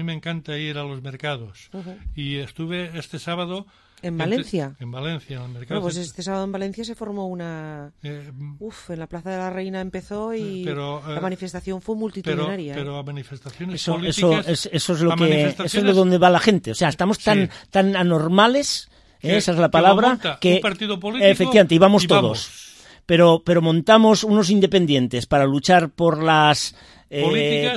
A mí me encanta ir a los mercados. Y estuve este sábado... ¿En Valencia? En Valencia, en el mercado. Bueno, pues este sábado en Valencia se formó una... en la Plaza de la Reina empezó y la manifestación fue multitudinaria. Pero a manifestaciones políticas... Eso es de donde va la gente. O sea, estamos tan anormales, esa es la palabra, que un partido político efectivamente, y vamos todos. Pero montamos unos independientes para luchar por las...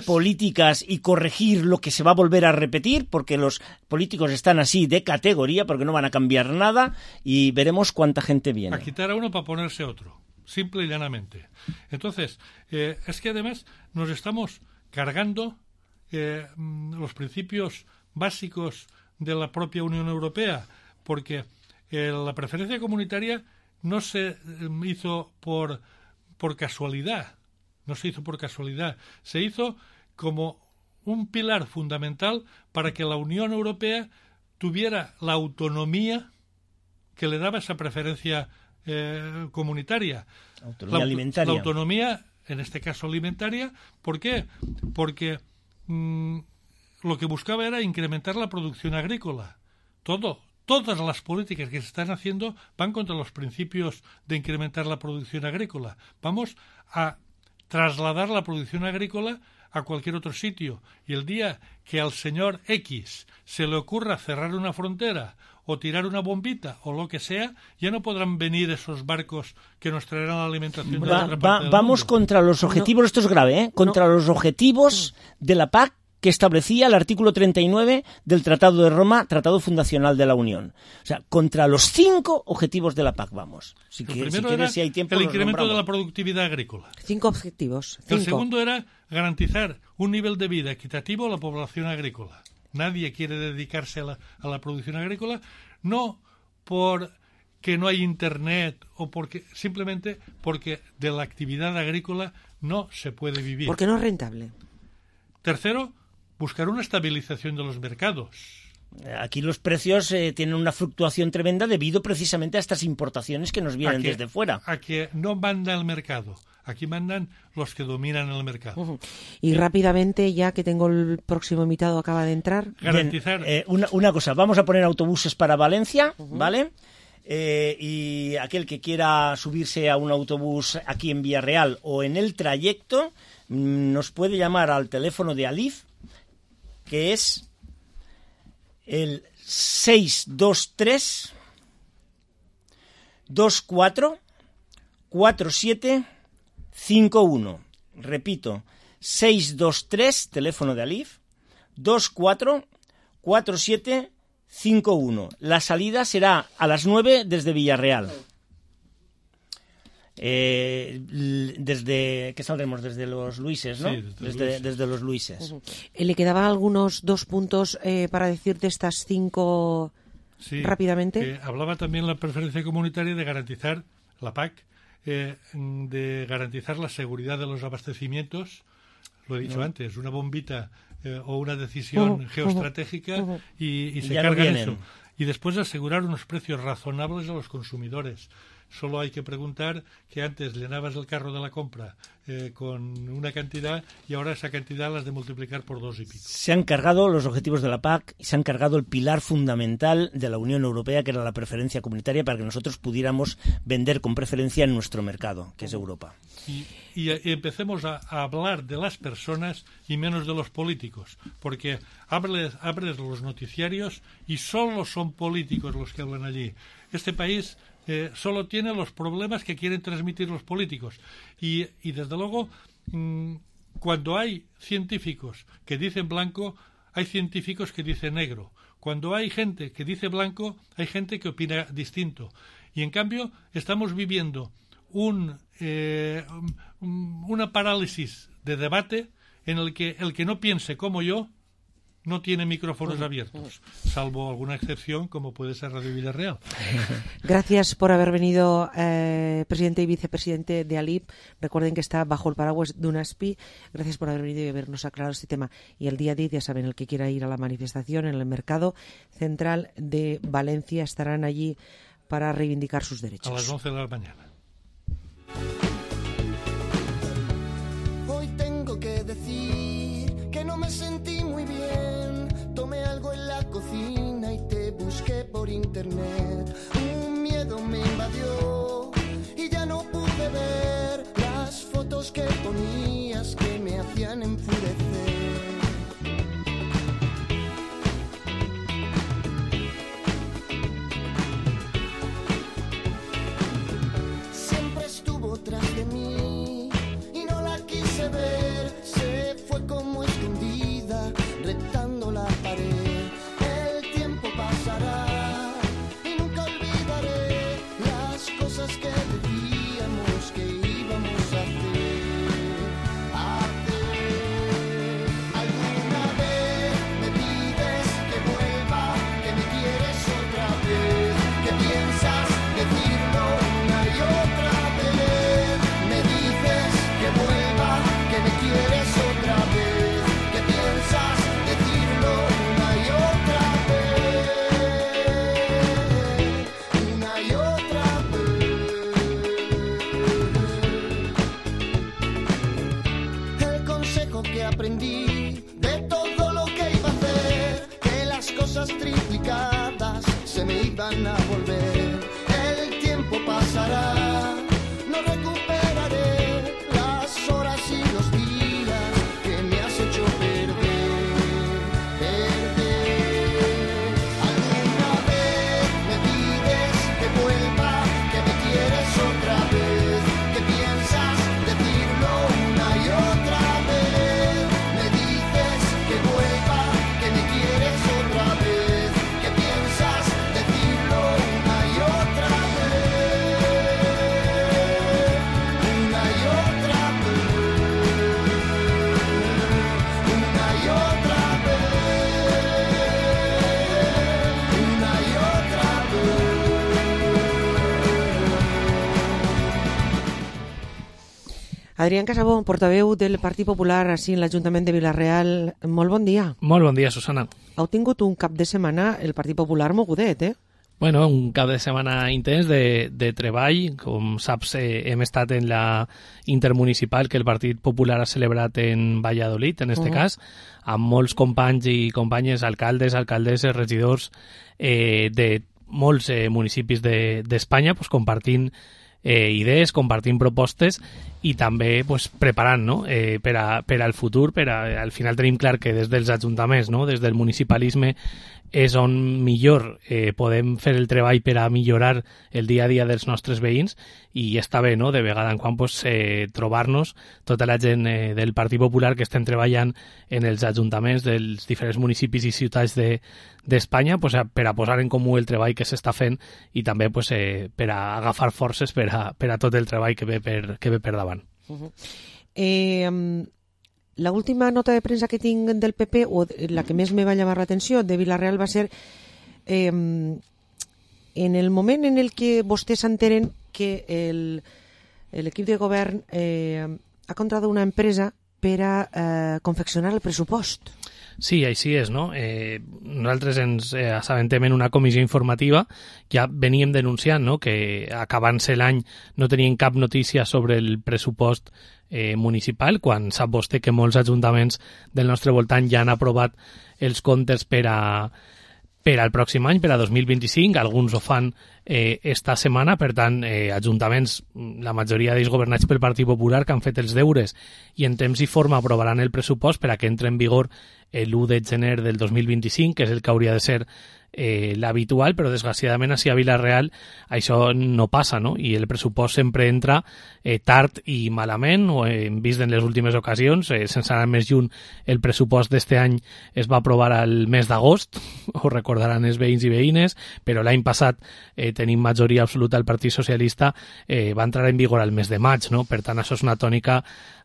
políticas y corregir lo que se va a volver a repetir, porque los políticos están así de categoría, porque no van a cambiar nada, y veremos cuánta gente viene. A quitar a uno para ponerse otro, simple y llanamente. Entonces, es que además nos estamos cargando los principios básicos de la propia Unión Europea, porque la preferencia comunitaria no se hizo por casualidad. No se hizo por casualidad, se hizo como un pilar fundamental para que la Unión Europea tuviera la autonomía que le daba esa preferencia comunitaria. Autonomía alimentaria. La autonomía, en este caso alimentaria, ¿por qué? Porque lo que buscaba era incrementar la producción agrícola. Todas las políticas que se están haciendo van contra los principios de incrementar la producción agrícola. Vamos a trasladar la producción agrícola a cualquier otro sitio. Y el día que al señor X se le ocurra cerrar una frontera o tirar una bombita o lo que sea, ya no podrán venir esos barcos que nos traerán la alimentación de otra parte del Vamos mundo. Contra los objetivos, esto es grave, contra los objetivos de la PAC que establecía el artículo 39 del Tratado de Roma, Tratado Fundacional de la Unión. O sea, contra los 5 objetivos de la PAC vamos. Si hay tiempo, el incremento de la productividad agrícola. 5 objetivos. El segundo era garantizar un nivel de vida equitativo a la población agrícola. Nadie quiere dedicarse a la producción agrícola, no porque no hay internet o simplemente porque de la actividad agrícola no se puede vivir. Porque no es rentable. Tercero, buscar una estabilización de los mercados. Aquí los precios tienen una fluctuación tremenda debido precisamente a estas importaciones que nos vienen desde fuera. A que no manda el mercado. Aquí mandan los que dominan el mercado. Y rápidamente, ya que tengo el próximo invitado, acaba de entrar. Garantizar. Una cosa, vamos a poner autobuses para Valencia, ¿vale? Y aquel que quiera subirse a un autobús aquí en Villarreal o en el trayecto, nos puede llamar al teléfono de Alif, que es el 623 24 47 51. Repito, 623, teléfono de Alif, 24 47 51. La salida será a las 9 desde Villarreal. ¿Qué saldremos? Desde los Luises, ¿no? Sí, desde los Luises. ¿Le quedaban algunos 2 puntos para decir de estas 5 rápidamente? Hablaba también la preferencia comunitaria de garantizar, la PAC, de garantizar la seguridad de los abastecimientos. Lo he dicho antes, una bombita o una decisión geoestratégica y se cargan eso. Y después asegurar unos precios razonables a los consumidores. Solo hay que preguntar que antes llenabas el carro de la compra con una cantidad y ahora esa cantidad la has de multiplicar por 2 y pico. Se han cargado los objetivos de la PAC y se han cargado el pilar fundamental de la Unión Europea, que era la preferencia comunitaria, para que nosotros pudiéramos vender con preferencia en nuestro mercado, que es Europa. Y empecemos a hablar de las personas y menos de los políticos, porque abres los noticiarios y solo son políticos los que hablan allí. Este país solo tiene los problemas que quieren transmitir los políticos y desde luego cuando hay científicos que dicen blanco, hay científicos que dicen negro. Cuando hay gente que dice blanco, hay gente que opina distinto. Y en cambio estamos viviendo una parálisis de debate en el que no piense como yo no tiene micrófonos abiertos, salvo alguna excepción como puede ser Radio Villarreal. Gracias por haber venido, presidente y vicepresidente de ALIP. Recuerden que está bajo el paraguas de UNASPI. Gracias por haber venido y habernos aclarado este tema. Y el día 10, ya saben, el que quiera ir a la manifestación en el Mercado Central de Valencia, estarán allí para reivindicar sus derechos. A las 11 de la mañana. Hoy tengo que decir que no me sentí muy bien. internet. Un miedo me invadió y ya no pude ver las fotos que ponías que me hacían enfurecer. Siempre estuvo tras de mí y no la quise ver. Se fue como escondida, retando la pared. El tiempo pasará y nunca olvidaré las cosas que decíamos que íbamos a hacer. Alguna vez me pides que vuelva, que me quieres otra vez, que piensas decirlo una y otra vez. Me dices que vuelva, que me quieres otra vez, que piensas decirlo una y otra vez, una y otra vez. El consejo que aprendí de todo lo que iba a hacer, que las cosas triplicadas se me iban a volver. El tiempo pasará, no recuperaré las horas y los días que me has hecho perder, perder. Alguna vez me pides que vuelva, que me quieres otra vez, que piensas decirlo una y otra vez. Me dices que vuelva, que me quieres otra vez, que piensas decirlo una y otra vez, una y otra vez, una y otra vez, una y otra vez. Adrián Casabó, portaveu del Partit Popular així en l'Ajuntament de Vila-real. Molt bon dia. Molt bon dia, Susana. Heu tingut un cap de setmana el Partit Popular mogudet, eh? Bueno, un cap de setmana intens de treball. Com saps, hem estat en la intermunicipal que el Partit Popular ha celebrat en Valladolid, en este cas, amb molts companys i companyes, alcaldes, alcaldesses, regidors de molts municipis d'Espanya, pues, compartint idees, compartint propostes i també pues, preparant, no? per al futur. Al final tenim clar que des dels ajuntaments, no? Des del municipalisme, és on millor podem fer el treball per a millorar el dia a dia dels nostres veïns, i està bé, no? De vegada en quan pues, trobar-nos tota la gent del Partit Popular que estem treballant en els ajuntaments dels diferents municipis i ciutats d'Espanya pues, per a posar en comú el treball que s'està fent i també pues, per a agafar forces per a tot el treball que ve per davant. La última nota de premsa que tinc del PP, o la que més me va llamar l'atenció de Vila-real, va ser en el moment en el que vostès s'enteren que l'equip de govern ha contratat una empresa per a confeccionar el pressupost. Sí, així és, no? Nosaltres ens assabentem en una comissió informativa, ja veníem denunciant, no?, que acabant-se l'any no tenien cap notícia sobre el pressupost municipal, quan sap vostè que molts ajuntaments del nostre voltant ja han aprovat els comptes per al pròxim any, per a 2025, alguns ho fan esta setmana. Per tant, ajuntaments, la majoria d'ells governats pel Partit Popular, que han fet els deures i en temps i forma aprovaran el pressupost per a que entre en vigor l'1 de gener del 2025, que és el que hauria de ser l'habitual, però desgraciadament així a Vila-real això no passa, no? I el pressupost sempre entra tard i malament, o hem vist en les últimes ocasions, sense anar més lluny, el pressupost d'este any es va aprovar al mes d'agost, ho recordaran els veïns i veïnes, però l'any passat tenim majoria absoluta al Partit Socialista, va entrar en vigor al mes de maig, no? Per tant, això és una tònica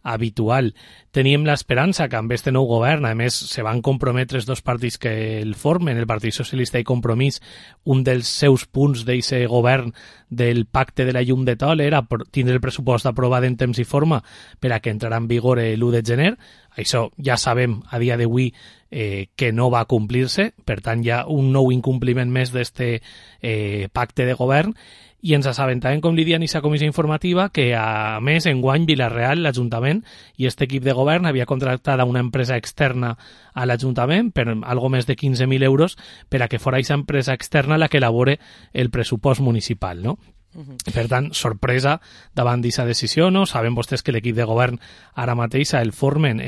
habitual. Teníem l'esperança que amb este nou govern, a més, se van comprometre els dos partits que el formen, el Partit Socialista i Compromís. Un dels seus punts d'aquest govern del pacte de la llum de Tol era tindre el pressupost aprovat en temps i forma per a que entrarà en vigor l'1 de gener. Això ja sabem a dia d'avui que no va complir-se, per tant hi ha un nou incompliment més d'este pacte de govern, i ens assabentàvem, com li diuen, aquesta comissió informativa, que a més enguany Vila-real, l'Ajuntament i aquest equip de govern havia contractat a una empresa externa a l'Ajuntament per algo més de 15.000 euros per a que fora aquesta empresa externa la que elabore el pressupost municipal, no? Per tant, sorpresa davant d'aquesta decisió, no? Saben vostès que l'equip de govern ara mateix el formen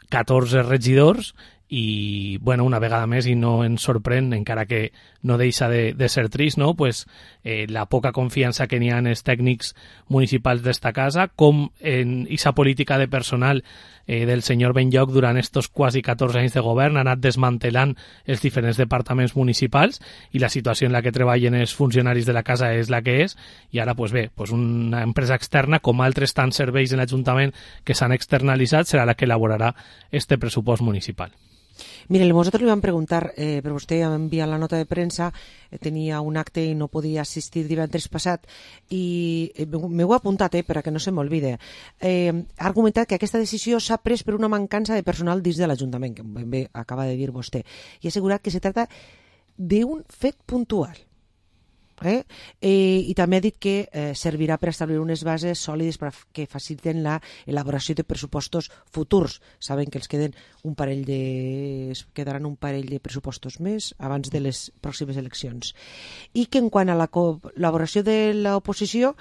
14 regidors i, bueno, una vegada més, i no ens sorprèn, encara que no deixa de ser trist, no? Pues, la poca confiança que n'hi ha en els tècnics municipals d'esta casa, com en aquesta política de personal del senyor Benlloch durant estos quasi 14 anys de govern ha anat desmantelant els diferents departaments municipals, i la situació en la que treballen els funcionaris de la casa és la que és, i ara, pues bé, pues una empresa externa, com altres tants serveis en l'Ajuntament que s'han externalitzat, serà la que elaborarà este pressupost municipal. Mire, nosaltres li vam preguntar, però vostè ha enviat la nota de premsa, tenia un acte i no podia assistir divendres passat, i m'ho he apuntat, per a que no se m'olvide. Ha argumentat que aquesta decisió s'ha pres per una mancança de personal dins de l'Ajuntament, que ben bé acaba de dir vostè, i ha assegurat que se tracta d'un fet puntual. I també ha dit que servirà per establir unes bases sòlides que faciliten l'elaboració de pressupostos futurs. Saben que quedaran un parell de pressupostos més abans de les pròximes eleccions. I que en quant a la col·laboració de l'oposició,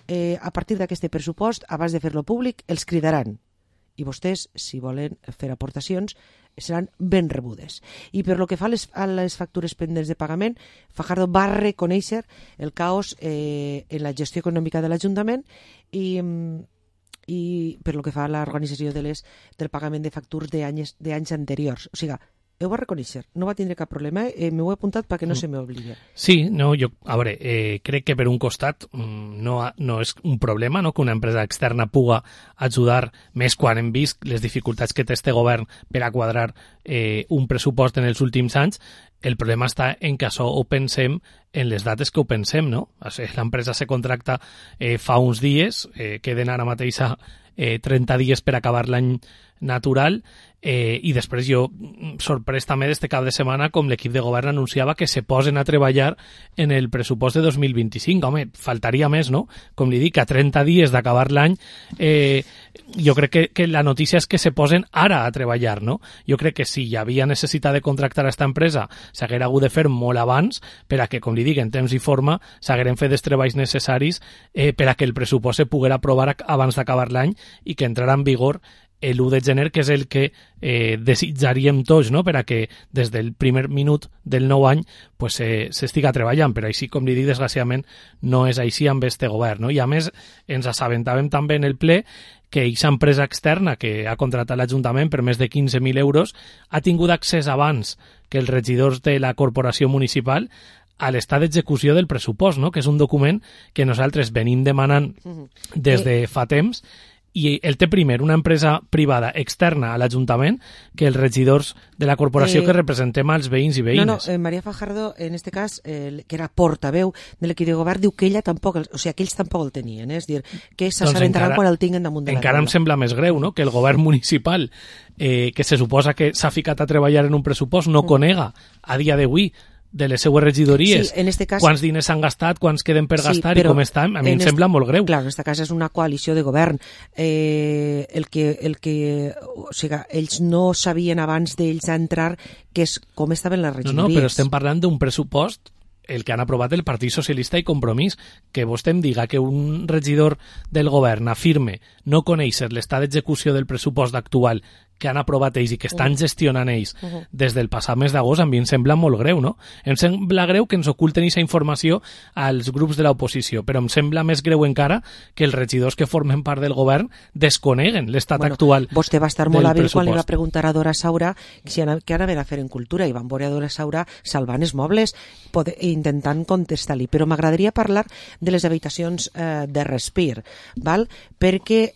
a partir d'aquest pressupost, abans de fer-lo públic, els cridaran. I vostès, si volen fer aportacions, seran ben rebudes. I per lo que fa a les factures pendents de pagament, Fajardo va reconèixer el caos en la gestió econòmica de l'Ajuntament i per lo que fa a l'organització del pagament de factures d'anys anteriors. O sigui, ho va reconèixer, no va tindre cap problema, m'ho he apuntat perquè no se m'oblidi. Sí, no, a veure, crec que per un costat no és un problema, no, que una empresa externa puga ajudar, més quan hem vist les dificultats que té este govern per a quadrar un pressupost en els últims anys. El problema està en que això ho pensem en les dates que ho pensem, no? L'empresa se contracta fa uns dies, queden ara mateix a 30 dies per acabar l'any natural, i després jo sorprès també d'este cap de setmana com l'equip de govern anunciava que se posen a treballar en el pressupost de 2025. Home, faltaria més, no? Com li dic, a 30 dies d'acabar l'any, jo crec que la notícia és que se posen ara a treballar, no? Jo crec que si hi havia necessitat de contractar a esta empresa s'haguera hagut de fer molt abans per a que, com li dic, en temps i forma s'hagueren fet els treballs necessaris per a que el pressupost se poguera aprovar abans d'acabar l'any i que entrarà en vigor l'1 de gener, que és el que desitjaríem tots, no? Per a que des del primer minut del nou any pues, s'estiga treballant, però així, com li dic, desgraciadament no és així amb este govern, no? I a més ens assabentàvem també en el ple que aquesta empresa externa que ha contractat l'Ajuntament per més de 15.000 euros ha tingut accés abans que els regidors de la corporació municipal a l'estat d'execució del pressupost, no? Que és un document que nosaltres venim demanant des de fa temps, i el té primer una empresa privada externa a l'Ajuntament que els regidors de la corporació que representem als veïns i veïnes. No, María Fajardo, en este cas, que era portaveu de l'equip de govern, diu que ella tampoc, o sigui, que ells tampoc el tenien, és dir, que s'assabentaran quan el tinguen damunt de la taula. Encara em sembla més greu, no?, que el govern municipal, que se suposa que s'ha ficat a treballar en un pressupost, no conega a dia d'avui de les seues regidories, sí, en este cas, quants diners s'han gastat, quants queden per gastar i com estan, a mi em sembla molt greu. Clar, en aquest cas és una coalició de govern. O sigui, ells no sabien abans d'ells entrar com estaven les regidories. No, però estem parlant d'un pressupost el que han aprovat el Partit Socialista i Compromís, que vostè em diga que un regidor del govern afirme no conèixer l'estat d'execució del pressupost actual que han aprovat ells i que estan gestionant ells des del passat mes d'agost, a mi em sembla molt greu, no? Em sembla greu que ens oculten aquesta informació als grups de l'oposició, però em sembla més greu encara que els regidors que formen part del govern desconeguen l'estat actual del pressupost. Vostè va estar molt hàbil quan li va preguntar a Dora Saura què anaven a fer en cultura, i van veure a Dora Saura salvant els mobles intentant contestar-li, però m'agradaria parlar de les habitacions de respir, val? Perquè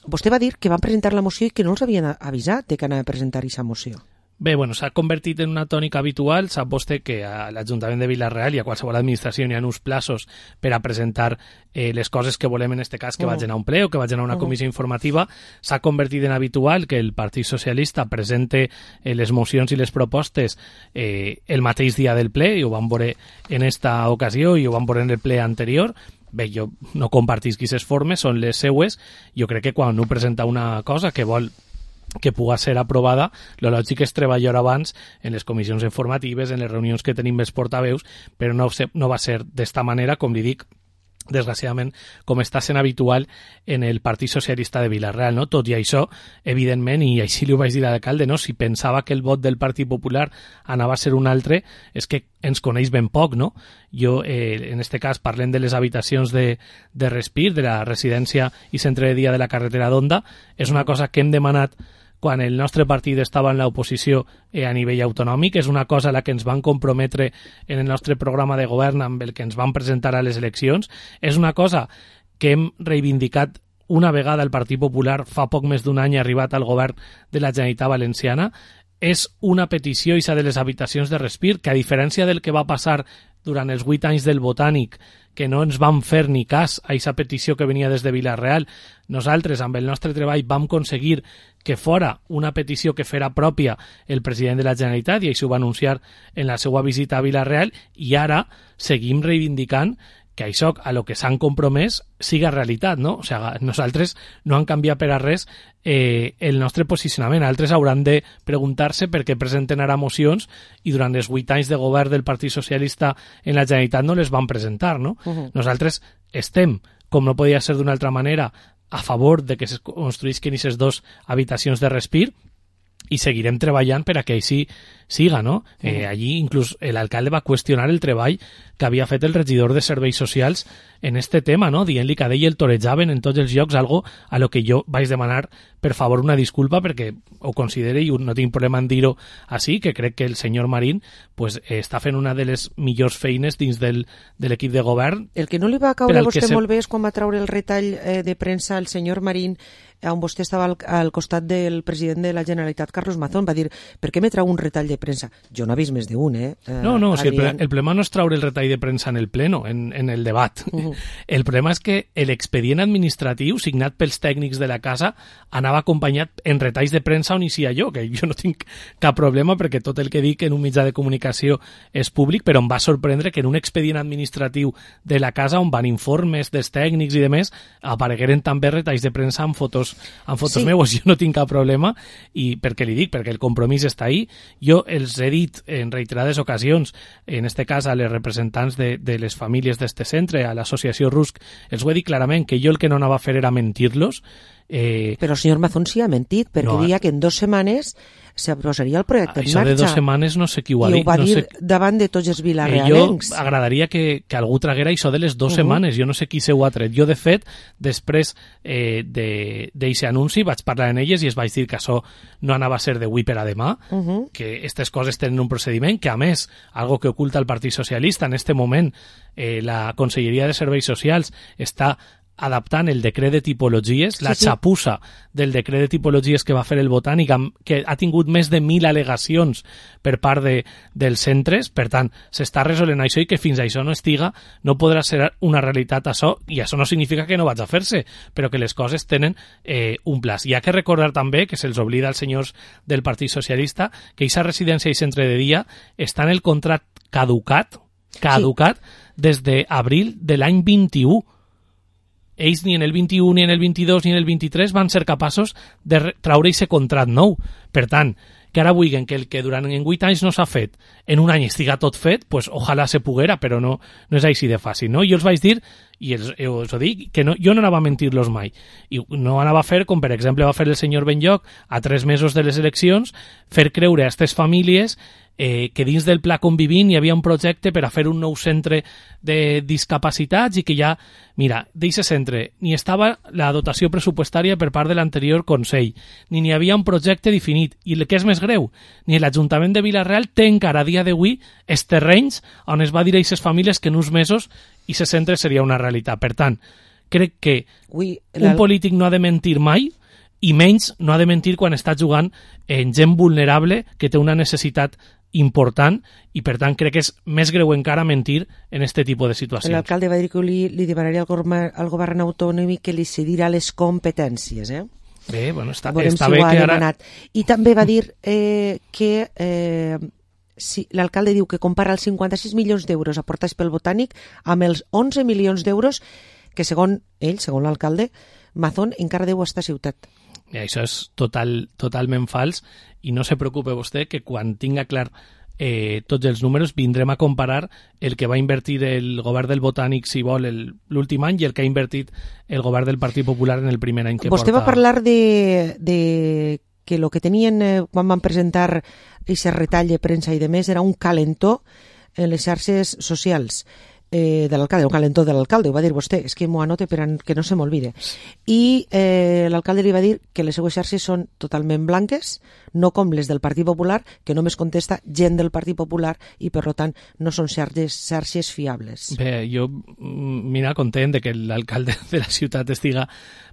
vostè va dir que van presentar la moció i que no els havien avisat de que anava a presentar aquesta moció. Bé, bueno, s'ha convertit en una tònica habitual. Sap vostè que a l'Ajuntament de Vila-real i a qualsevol administració hi ha uns plaços per a presentar les coses que volem, en este cas, que vagin a un ple o que vagin a una comissió informativa. S'ha convertit en habitual que el Partit Socialista presente les mocions i les propostes el mateix dia del ple, i ho vam veure en esta ocasió i ho vam veure en el ple anterior. Bé, jo no compartisc aquestes formes, són les seues. Jo crec que quan un presenta una cosa que vol que puga ser aprovada, lo lògic és treballar abans en les comissions informatives, en les reunions que tenim els portaveus, però no va ser d'esta manera, com li dic, desgraciadament, com està sent habitual en el Partit Socialista de Vila-real, no? Tot i això, evidentment, i així li ho vaig dir a l'alcalde, no? Si pensava que el vot del Partit Popular anava a ser un altre, és que ens coneix ben poc, no? Jo, en este cas, parlem de les habitacions de Respir, de la residència i centre de dia de la carretera d'Onda. És una cosa que hem demanat quan el nostre partit estava en l'oposició a nivell autonòmic. És una cosa a la que ens van comprometre en el nostre programa de govern amb el que ens van presentar a les eleccions. És una cosa que hem reivindicat una vegada el Partit Popular fa poc més d'un any arribat al govern de la Generalitat Valenciana. És una petició, ixa de les habitacions de Respir, que a diferència del que va passar durant els 8 anys del Botànic, que no ens van fer ni cas a aquesta petició que venia des de Vila-real, nosaltres, amb el nostre treball, vam aconseguir que fora una petició que fera pròpia el president de la Generalitat, i això ho va anunciar en la seva visita a Vila-real, i ara seguim reivindicant que això a lo que s'han compromès siga realitat, no? O sigui, nosaltres no han canviat per a res el nostre posicionament. Altres hauran de preguntar-se per què presenten ara mocions i durant els 8 anys de govern del Partit Socialista en la Generalitat no les van presentar, no? Nosaltres estem, com no podia ser d'una altra manera, a favor de que es construïsquen aquestes 2 habitacions de Respir, i seguirem treballant per a que així siga, no? Allí inclús l'alcalde va qüestionar el treball que havia fet el regidor de Serveis Socials en este tema, no? Dient-li que a ell el torejaven en tots els llocs, algo a lo que jo vaig demanar per favor una disculpa, perquè ho considere, i no tinc problema en dir-ho així, que crec que el senyor Marín pues, està fent una de les millors feines dins de l'equip de govern. El que no li va caure a vostè molt bé és quan va treure el retall de premsa al senyor Marín, on vostè estava al costat del president de la Generalitat, Carlos Mazón. Va dir, per què me trau un retall de premsa? Jo no he vist més d'un, No, si el problema no és traure el retall de premsa en el pleno, en el debat. El problema és que l'expedient administratiu signat pels tècnics de la casa anava acompanyat en retalls de premsa on hi sia jo, que jo no tinc cap problema perquè tot el que dic en un mitjà de comunicació és públic, però em va sorprendre que en un expedient administratiu de la casa on van informes dels tècnics i demés aparegueren també retalls de premsa amb fotos sí. Meues. Jo no tinc cap problema, i perquè li dic, perquè el compromís està ahí. Jo els he dit en reiterades ocasions, en este cas a les representants de les famílies d'este centre, a l'associació RUSC, els ho he dit clarament que jo el que no anava a fer era mentir-los. Però el senyor Mazón sí ha mentit, perquè deia que en 2 setmanes s'aprosaria el projecte en marxa. Això de 2 setmanes no sé qui ho ha dit. I ho va dir davant de tots els vilarealencs. Jo agradaria que algú traguera això de les 2 setmanes. Jo no sé qui se ho ha tret. Jo, de fet, després d'aquest anunci vaig parlar amb elles i es vaig dir que això no anava a ser d'avui per a demà, que aquestes coses tenen un procediment, que a més, algo que oculta el Partit Socialista en este moment, la Conselleria de Serveis Socials està adaptant el decret de tipologies, la xapussa del decret de tipologies que va fer el Botànic, que ha tingut més de 1.000 al·legacions per part dels centres. Per tant, s'està resolent això, i que fins això no estiga no podrà ser una realitat això, i això no significa que no vaig a fer-se, però que les coses tenen un plaç. Hi ha que recordar també, que se'ls oblida als senyors del Partit Socialista, que aquesta residència i centre de dia està en el contracte caducat des d'abril de l'any 21. Ells ni en el 21, ni en el 22, ni en el 23 van ser capaços de traure aquest contracte nou. Per tant, que ara vulguin que el que durant 8 anys no s'ha fet, en un any estiga tot fet, pues ojalà se poguera, però no és així de fàcil, no? Jo els vaig dir, i els ho dic, que jo no anava a mentir-los mai. I no anava a fer, com per exemple va fer el senyor Benlloc, a 3 mesos de les eleccions, fer creure a aquestes famílies que dins del Pla Convivint hi havia un projecte per a fer un nou centre de discapacitats, i que ja, mira, d'aquest centre ni estava la dotació pressupostària per part de l'anterior Consell, ni n'hi havia un projecte definit, i el que és més greu, ni l'Ajuntament de Vila-real té encara a dia d'avui els terrenys on es va dir a aquestes famílies que en uns mesos aquest centre seria una realitat. Per tant, crec que un polític no ha de mentir mai, i menys no ha de mentir quan està jugant en gent vulnerable que té una necessitat important i per tant crec que és més greu encara mentir en este tipus de situacions. L'alcalde va dir que li demanaria al govern autonòmic que li cedirà les competències, Bé, bueno, està veurem bé si ho ha que ara... demanat. I també va dir que si l'alcalde diu que compara els 56 milions d'euros aportats pel Botànic amb els 11 milions d'euros que segons ell, segons l'alcalde, Mazón encara deu a esta ciutat. I això és totalment fals i no se preocupe vostè que quan tinga clar tots els números vindrem a comparar el que va invertir el govern del Botànic, si vol, l'últim any i el que ha invertit el govern del Partit Popular en el primer any que Vostè porta... va parlar de que el que tenien quan van presentar aquest retall de premsa i de més era un calentó en les xarxes socials de l'alcalde, un calentó de l'alcalde, ho va dir vostè, és que m'ho anote per que no se m'olvide. I l'alcalde li va dir que les seues xarxes són totalment blanques, no com les del Partit Popular, que només contesta gent del Partit Popular i, per tant, no són xarxes fiables. Bé, jo, mira, content de que l'alcalde de la ciutat estiga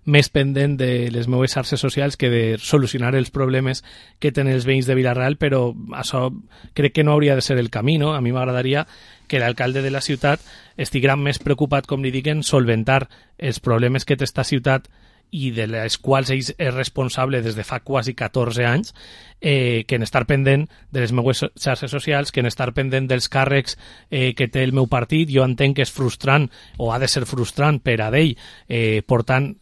més pendent de les meves xarxes socials que de solucionar els problemes que tenen els veïns de Vila-real, però això crec que no hauria de ser el camí, no? A mi m'agradaria que l'alcalde de la ciutat estiguera més preocupat, com li dic, en solventar els problemes que té esta ciutat i de les quals ell és responsable des de fa quasi 14 anys, que en estar pendent de les meues xarxes socials, que en estar pendent dels càrrecs que té el meu partit. Jo entenc que és frustrant, o ha de ser frustrant per a ell, portant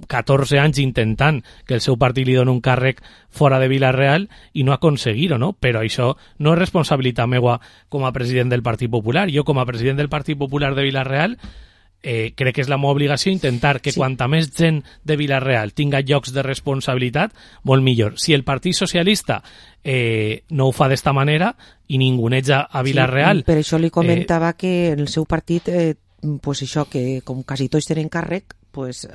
14 anys intentant que el seu partit li doni un càrrec fora de Vila-real i no aconseguir-ho, no? Però això no és responsabilitat meua com a president del Partit Popular. Jo, com a president del Partit Popular de Vila-real, crec que és la meva obligació intentar que quanta més gent de Vila-real tinga llocs de responsabilitat, molt millor. Si el Partit Socialista no ho fa d'esta manera i ninguneja a Vila-real... Sí, per això li comentava que en el seu partit, pues això, que com quasi tots tenen càrrec, pues...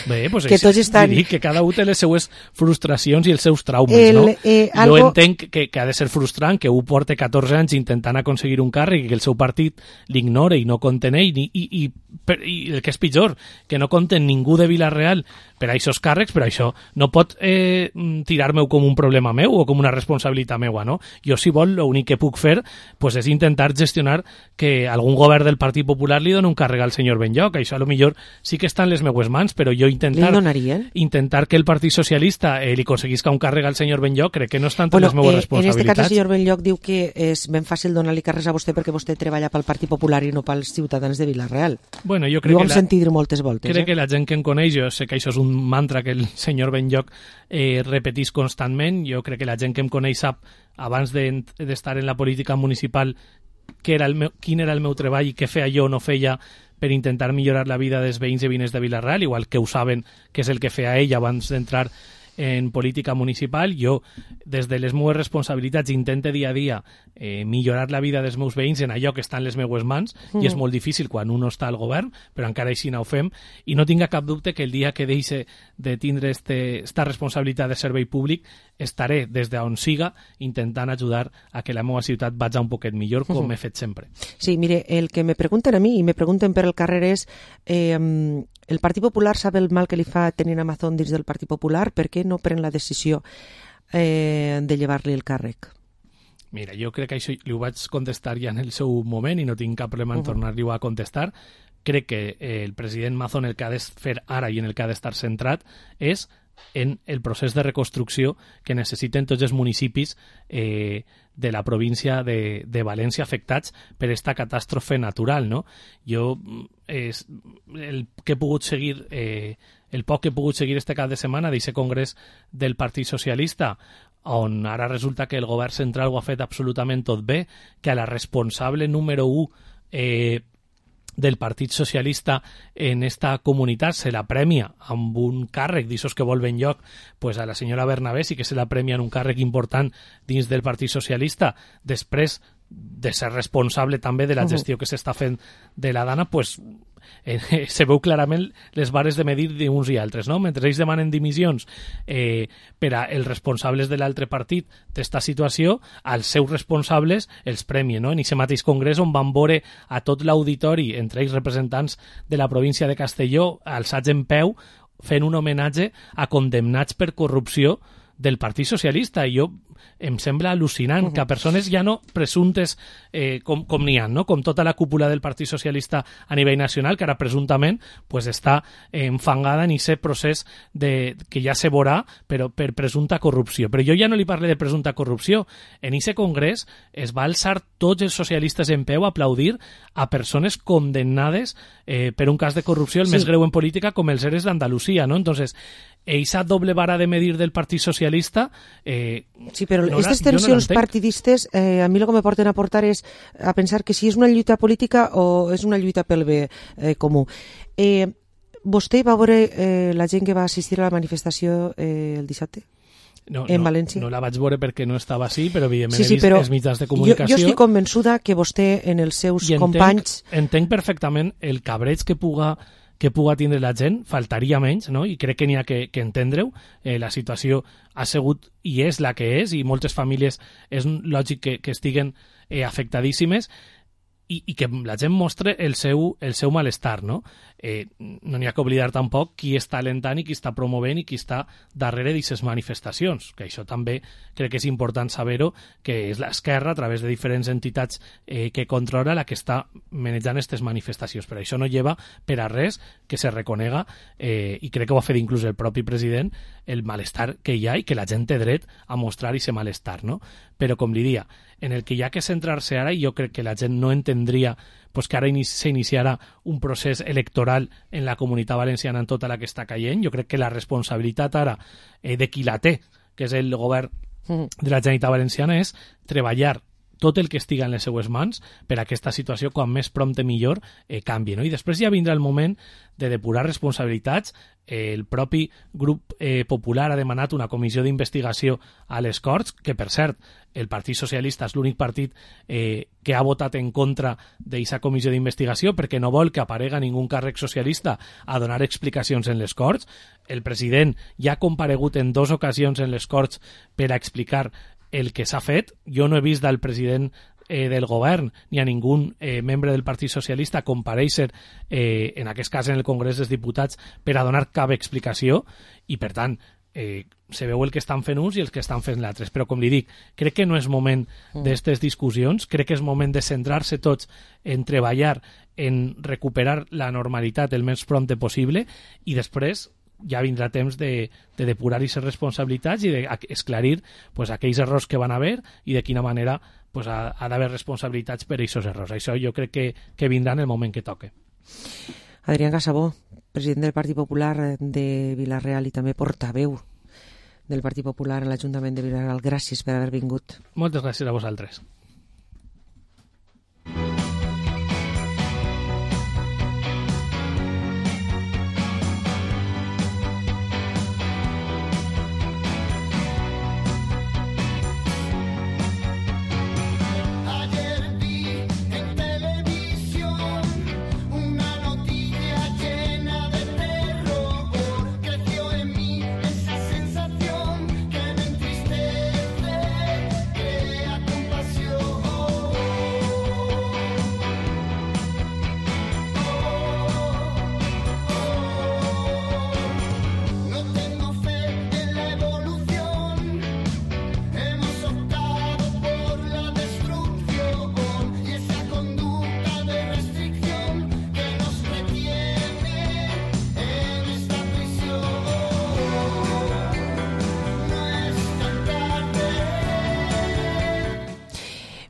Bé, pues que tots estan... dic que cada un té les seues frustracions i els seus traumes, no? Jo entenc que ha de ser frustrant que un porte 14 anys intentant aconseguir un càrrec i que el seu partit l'ignore i no compten ell, i el que és pitjor, que no compten ningú de Vila-real per a aquests càrrecs, però això no pot tirar-me com un problema meu o com una responsabilitat meua, no? Jo, si vol, l'únic que puc fer pues, és intentar gestionar que algun govern del Partit Popular li doni un càrrec al senyor Benlloc. Això, a lo millor, sí que està en les meues mans, però jo intentar que el Partit Socialista li aconseguisca un càrrec al senyor Benlloc crec que no està entre les meues responsabilitats. En aquest cas, el senyor Benlloc diu que és ben fàcil donar-li càrrecs a vostè perquè vostè treballa pel Partit Popular i no pels ciutadans de Vila-real. Bueno, jo crec ho hem sentit dir moltes voltes. Crec que la gent que em coneix, jo sé que això és un mantra que el senyor Benlloc repetís constantment. Jo crec que la gent que em coneix sap, abans d'estar en la política municipal, quin era el meu treball i què feia jo o no feia per intentar millorar la vida dels veïns i veïnes de Vila-real, igual que ho saben que és el que feia ell abans d'entrar en política municipal. Jo, des de les meves responsabilitats, intento dia a dia millorar la vida dels meus veïns en allò que està en les meues mans, i és molt difícil quan un no està al govern, però encara així no ho fem, i no tinga cap dubte que el dia que deixe de tindre esta responsabilitat de servei públic estaré des d'on siga intentant ajudar a que la meva ciutat vagi un poquet millor, com he fet sempre. Sí, mire, el que me pregunten a mi i me pregunten per el carrer és el Partit Popular sap el mal que li fa tenir a Mazón dins del Partit Popular, per què no pren la decisió de llevar-li el càrrec? Mira, jo crec que això li ho vaig contestar ja en el seu moment i no tinc cap problema en tornar-li-ho a contestar. Crec que el president Mazón el que ha de fer ara i en el que ha d'estar centrat és en el procés de reconstrucció que necessiten tots els municipis de la província de València afectats per esta catàstrofe natural, no? Jo el que he pogut seguir el poc que he pogut seguir este cap de setmana d'aquest congrés del Partit Socialista, on ara resulta que el govern central ho ha fet absolutament tot bé, que a la responsable número 1 del Partit Socialista en esta comunitat se la premia amb un càrrec d'aixòs que vol Benlloc, pues a la senyora Bernabé sí que se la premia en un càrrec important dins del Partit Socialista, després de ser responsable també de la gestió que s'està fent de la Dana, pues se veu clarament les vares de medir d'uns i altres, no? Mentre ells demanen dimissions per a els responsables de l'altre partit d'esta situació, als seus responsables els premien, no? En aquest mateix congrés on van veure a tot l'auditori, entre ells representants de la província de Castelló, alçats en peu, fent un homenatge a condemnats per corrupció del Partit Socialista, i jo em sembla al·lucinant que a persones ja no presumptes com n'hi ha, no? Com tota la cúpula del Partit Socialista a nivell nacional, que ara presumptament pues, està enfangada en aquest procés que ja se veurà per presumpta corrupció. Però jo ja no li parlo de presumpta corrupció. En aquest congrés es va alçar tots els socialistes en peu a aplaudir a persones condemnades per un cas de corrupció el més greu en política com els EREs d'Andalusia, ¿no? Entonces, esa doble vara de medir del Partit Socialista... sí, però aquestes tensions partidistes a mi el que me porten a portar és a pensar que si és una lluita política o és una lluita pel bé comú. Vostè va veure la gent que va assistir a la manifestació el dissabte? En València? No la vaig veure perquè no estava així, però evidentment he vist els mitjans de comunicació. Jo estic convençuda que vostè en els seus companys... Entenc perfectament el cabreig que puga tindre la gent, faltaria menys, no? I crec que n'hi ha que entendre-ho. La situació ha sigut i és la que és, i moltes famílies és lògic que estiguen afectadíssimes, i que la gent mostre el seu malestar, no? No n'hi ha que oblidar tampoc qui està alentant i qui està promovent i qui està darrere d'aquestes manifestacions, que això també crec que és important saber-ho, que és l'esquerra, a través de diferents entitats que controla, la que està manejant aquestes manifestacions. Però això no lleva per a res que se reconega, i crec que ho ha fet inclús el propi president, el malestar que hi ha i que la gent té dret a mostrar aquest malestar, no? Però, com li dia, en el que hi ha que centrar-se ara, i jo crec que la gent no entendria pues, que ara s'iniciarà un procés electoral en la Comunitat Valenciana en tota la que està caient. Jo crec que la responsabilitat ara de qui la té, que és el govern de la Generalitat Valenciana, és treballar tot el que estiga en les seues mans per a aquesta situació, quan més prompte millor, canvi, no? I després ja vindrà el moment de depurar responsabilitats. El propi grup popular ha demanat una comissió d'investigació a les Corts, que, per cert, el Partit Socialista és l'únic partit que ha votat en contra d'aquesta comissió d'investigació perquè no vol que aparega ningú càrrec socialista a donar explicacions en les Corts. El president ja ha comparegut en 2 ocasions en les Corts per a explicar el que s'ha fet. Jo no he vist del president del govern ni a ningú membre del Partit Socialista comparèixer, en aquest cas en el Congrés dels Diputats, per a donar cap explicació, i per tant se veu el que estan fent uns i els que estan fent l'altres. Però, com li dic, crec que no és moment d'aquestes discussions, crec que és moment de centrar-se tots en treballar, en recuperar la normalitat el més prompte possible, i després ja vindrà temps de depurar aquestes responsabilitats i d'esclarir pues, aquells errors que van haver i de quina manera pues, ha d'haver responsabilitats per aquests errors. Això jo crec que vindrà en el moment que toque. Adrián Casabó, president del Partit Popular de Vila-real i també portaveu del Partit Popular a l'Ajuntament de Vila-real, gràcies per haver vingut. Moltes gràcies a vosaltres.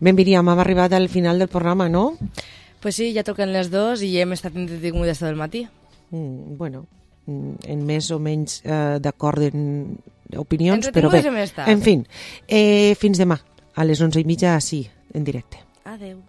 Ben, Míriam, hem arribat al final del programa, no? Pues sí, ja toquen les 2 i hem estat entretingudes tot el matí. Bueno, en més o menys d'acord en opinions, però bé, en fi, fins demà, a les 11:30, sí, en directe. Adeu.